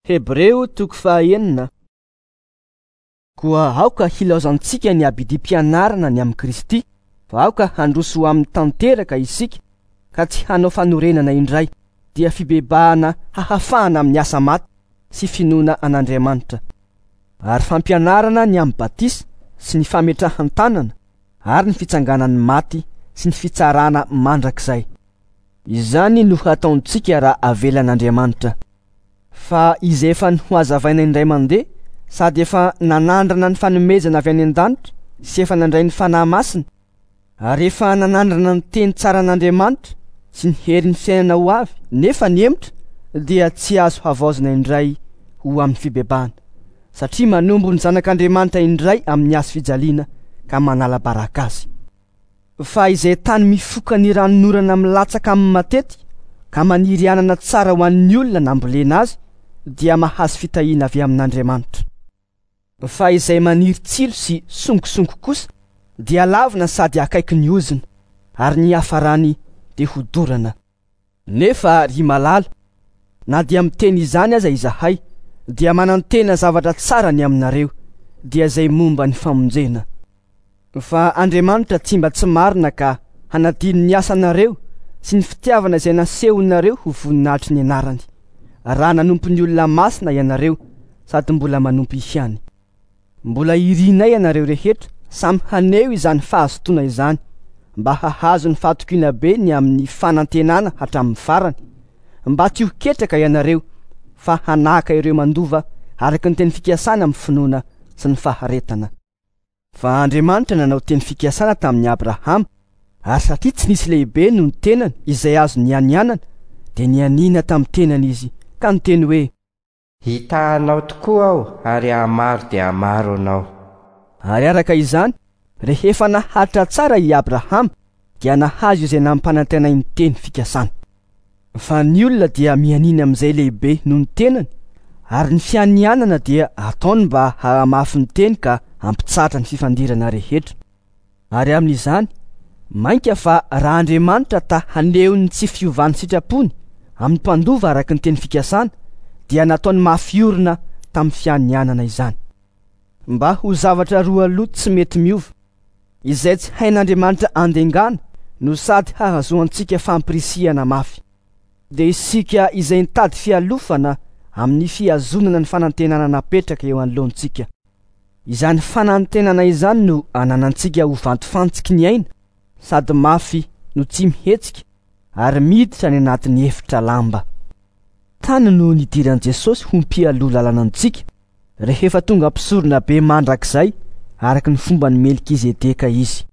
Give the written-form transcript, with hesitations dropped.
Hebreo toko fahaenina. Koa aoka hilaozantsika ny abidim-pianarana ny amin'i Kristy, fa aoka handroso ho amin'ny tanteraka isika, ka tsy hanao fanorenana indray, dia fibebahana hahafahana amin'ny asa maty sy finoana an'Andriamanitra, ary fampianarana ny amin'ny batisa sy ny fametrahan-tanana ary ny fitsanganan'ny maty sy ny fitsarana mandrakizay. Izany no hataontsika raha avelan'Andriamanitra. Fa izay efa nohazavaina indray mandeha sady efa nanandrana ny fanomezana avy any an-danitra sy efa nandray ny Fanahy Masina, ary efa nanandrana ny teny tsaran'Andriamanitra sy ny herin'ny fiainana ho avy nefa nihemotra, dia tsy azo havaozina indray ho amin'ny fibebahana, satria manombo ny Zanak'Andriamanitra indray amin'ny hazo fijaliana ka manala baraka azy. Fa izay tany mifoka ny ranonorana milatsaka aminy matetika ka maniry anana tsara ho an'ny olona nambolena azy dia mahazo fitahiana avy amin'Andriamanitra. Fa izay maniry tsilo sy songosongo kosa dia lavina sady akaiky ny ozona, ary ny hiafarany dia hodorana. Nefa, ry malala, na dia miteny izany aza izahay, dia manantena zavatra tsara ny aminareo, dia izay momba ny famonjena. Fa Andriamanitra tsy mba tsy marina ka hanadino ny asanareo sy ny fitiavana izay nasehonareo ho voninahitry ny anarany, raha nanompo ny olona masina ianareo sady mbola manompo ihany. Mbola irinay ianareo rehetra samy haneho izany fahazotoana izany mba hahazo ny fahatokiana be ny amin'ny fanantenana hatramin'ny farany, mba tsy ho ketraka ianareo fa hanahaka ireo mandova araka ny teny fikasana amin'ny finoana sy ny faharetana. Fa Andriamanitra nanao teny fikasana tamin'i Abrahama, ary satria tsy nisy lehibe noho ny tenany izay azo nianianana, dia nianiana tamin'ny tenany izy ka niteny hoe. Hitaha anao tokoa aho ary hahamaro dia hahamaro anao. Ary araka izany, rehefa naharitra tsara i Abrahama, dia nahazo izay nampanantenainy teny fikasana. Fa ny olona dia mianiana amin'izay lehibe noho ny tenany, ary ny fianianana dia ataony mba hahamafy ny teny ka hampitsahatra ny fifandirana rehetra. Ary amin'izany, mainka fa raha Andriamanitra ta haneho ny tsy fiovan'ny sitrapony amin'ny mpandova araka ny teny fikasana, dia nataony mafy orina tamin'ny fianianana izany. Mba ho zavatra roa loha tsy mety miova, izay tsy hain'Andriamanitra andengana no sady hahazoantsika fampirisihana mafy. Dia isika izay nitady fialofana amin'ny fihazonana ny fanantenana napetraka eo anoloantsika. Izany fanantenana izany no ananantsika ho vantofantsiky ny aina, sady mafy no tsy mihetsika ary miditra any anatin'ny efitra lamba. Tany no nidiran'i Jesosy ho mpialoha lalana antsika, rehefa tonga mpisorona be mandrakizay araka ny fomban'i Melkizedeka izy.